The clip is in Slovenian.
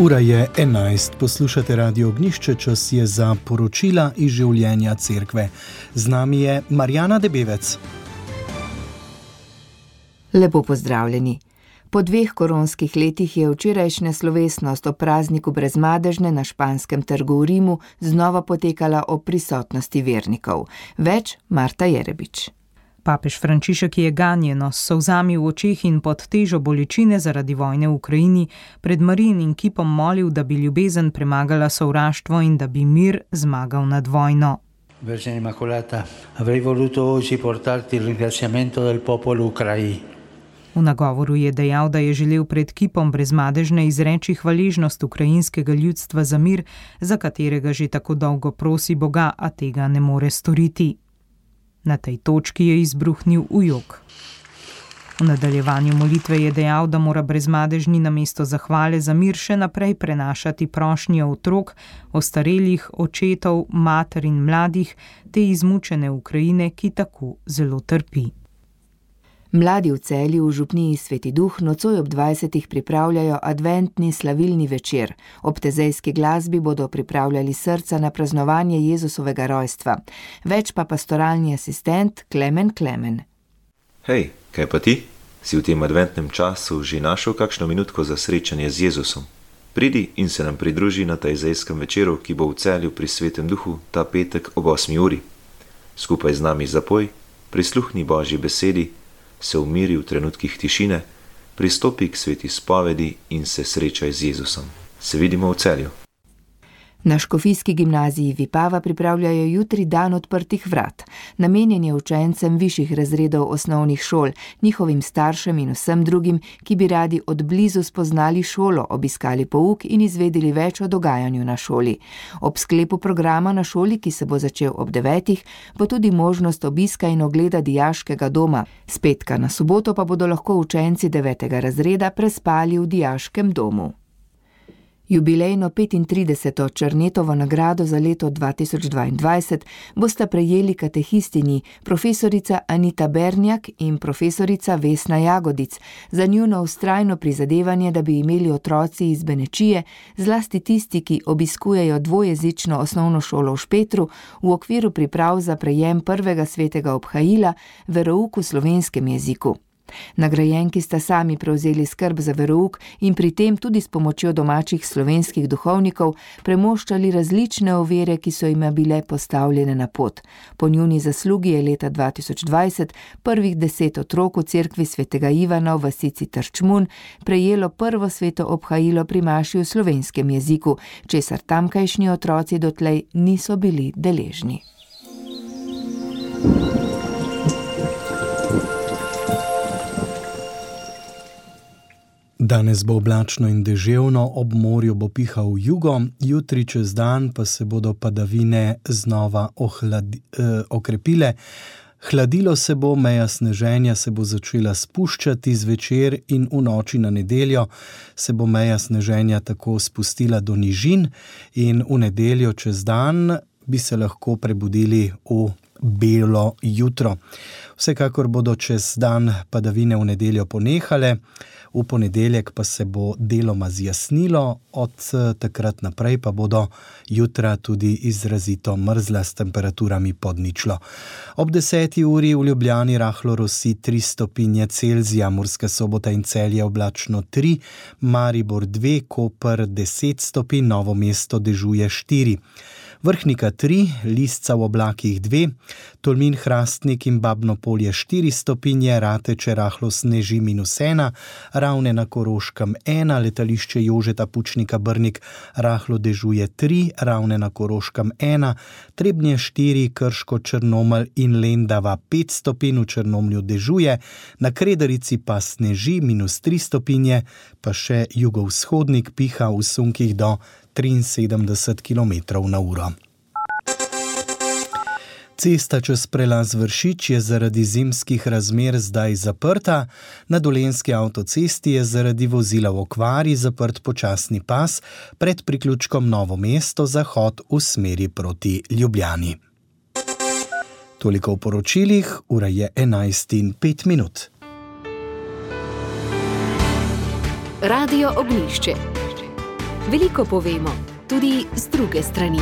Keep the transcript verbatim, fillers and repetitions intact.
Ura je enajst, poslušate Radio Ognjišče, čas je za poročila iz življenja cerkve. Z nami je Marjana Debevec. Lepo pozdravljeni. Po dveh koronskih letih je včerajšnja slovesnost o prazniku Brezmadežne na Španskem trgu v Rimu znova potekala ob prisotnosti vernikov. Več Marta Jerebič. Papež Frančišek je ganjeno s solzami v očeh in pod težo bolečine zaradi vojne v Ukrajini pred Marijinim kipom molil, da bi ljubezen premagala sovraštvo in da bi mir zmagal nad vojno. Vergine Immacolata, avrei voluto oggi portarti il ringraziamento del popolo ucraino. V nagovoru je dejal, da je želel pred kipom Brezmadežne izreči hvaležnost ukrajinskega ljudstva za mir, za katerega že tako dolgo prosi Boga, a tega ne more storiti. Na tej točki je izbruhnil v jok. V nadaljevanju molitve je dejal, da mora Brezmadežni namesto zahvale za mir še naprej prenašati prošnje otrok, ostarelih, očetov, mater in mladih, te izmučene Ukrajine, ki tako zelo trpi. Mladi v Celju v župniji Sveti Duh nocoj ob dvajsetih pripravljajo adventni slavilni večer. Ob tezejski glasbi bodo pripravljali srca na praznovanje Jezusovega rojstva. Več pa pastoralni asistent Klemen Klemen. Hej, kaj pa ti? Si v tem adventnem času že našel kakšno minutko za srečanje z Jezusom? Pridi in se nam pridruži na tezejskem večeru, ki bo v Celju pri Svetem Duhu ta petek ob osmi uri. Skupaj z nami zapoj, prisluhni Božji besedi, se umiri v trenutkih tišine, pristopi k sveti spovedi in se srečaj z Jezusom. Se vidimo v Celju. Na škofijski gimnaziji Vipava pripravljajo jutri dan odprtih vrat. Namenjen je učencem višjih razredov osnovnih šol, njihovim staršem in vsem drugim, ki bi radi od blizu spoznali šolo, obiskali pouk in izvedeli več o dogajanju na šoli. Ob sklepu programa na šoli, ki se bo začel ob devetih, bo tudi možnost obiska in ogleda dijaškega doma. S petka na soboto pa bodo lahko učenci devetega razreda prespali v dijaškem domu. Jubilejno petintrideseto Černetovo nagrado za leto dva tisoč dvaindvajset bosta prejeli katehistinji profesorica Anita Bernjak in profesorica Vesna Jagodic za njuno vztrajno prizadevanje, da bi imeli otroci iz Benečije, zlasti tisti, ki obiskujejo dvojezično osnovno šolo v Špetru, v okviru priprav za prejem prvega svetega obhajila, verouk v slovenskem jeziku. Nagrajenki sta sami prevzeli skrb za verouk in pri tem tudi s pomočjo domačih slovenskih duhovnikov premoščali različne ovire, ki so jim bile postavljene na pot. Po njuni zaslugi je leta dva tisoč dvajset prvih deset otrok v cerkvi svetega Ivana v vasici Trčmun prejelo prvo sveto obhajilo pri maši v slovenskem jeziku, česar tamkajšnji otroci dotlej niso bili deležni. Danes bo oblačno in deževno, ob morju bo pihal jugo, jutri čez dan pa se bodo padavine znova ohladi, eh, okrepile. Hladilo se bo, meja sneženja se bo začela spuščati zvečer in v noči na nedeljo se bo meja sneženja tako spustila do nižin in v nedeljo čez dan bi se lahko prebudili v belo jutro. Vsekakor bodo čez dan padavine v nedeljo ponehale, v ponedeljek pa se bo deloma zjasnilo, od takrat naprej pa bodo jutra tudi izrazito mrzla s temperaturami pod ničlo. Ob deseti uri v Ljubljani rahlo rosi tri stopinje Celzija, Murska Sobota in Celje oblačno tri, Maribor dve, Koper deset stopinj, Novo mesto dežuje štiri. Vrhnika tri, Lisca v oblakih dve, Tolmin, Hrastnik in Babno Polje štiri stopinje, Rateče rahlo sneži minus ena, Ravne na Koroškem ena, letališče Jožeta Pučnika Brnik rahlo dežuje tri, Ravne na Koroškem ena, Trebnje štiri, Krško, Črnomelj in Lendava pet stopinj, v Črnomlju dežuje, na Kredarici pa sneži minus tri stopinje, pa še jugovzhodnik piha v sunkih do triinsedemdeset kilometrov na uro. Cesta čez prelaz Vršič je zaradi zimskih razmer zdaj zaprta, na Dolenjski avtocesti je zaradi vozila v okvari zaprt počasni pas pred priključkom Novo mesto zahod v smeri proti Ljubljani. Toliko v poročilih, ura je enajst in pet minut. Radio Ognjišče. Veliko povemo, tudi z druge strani.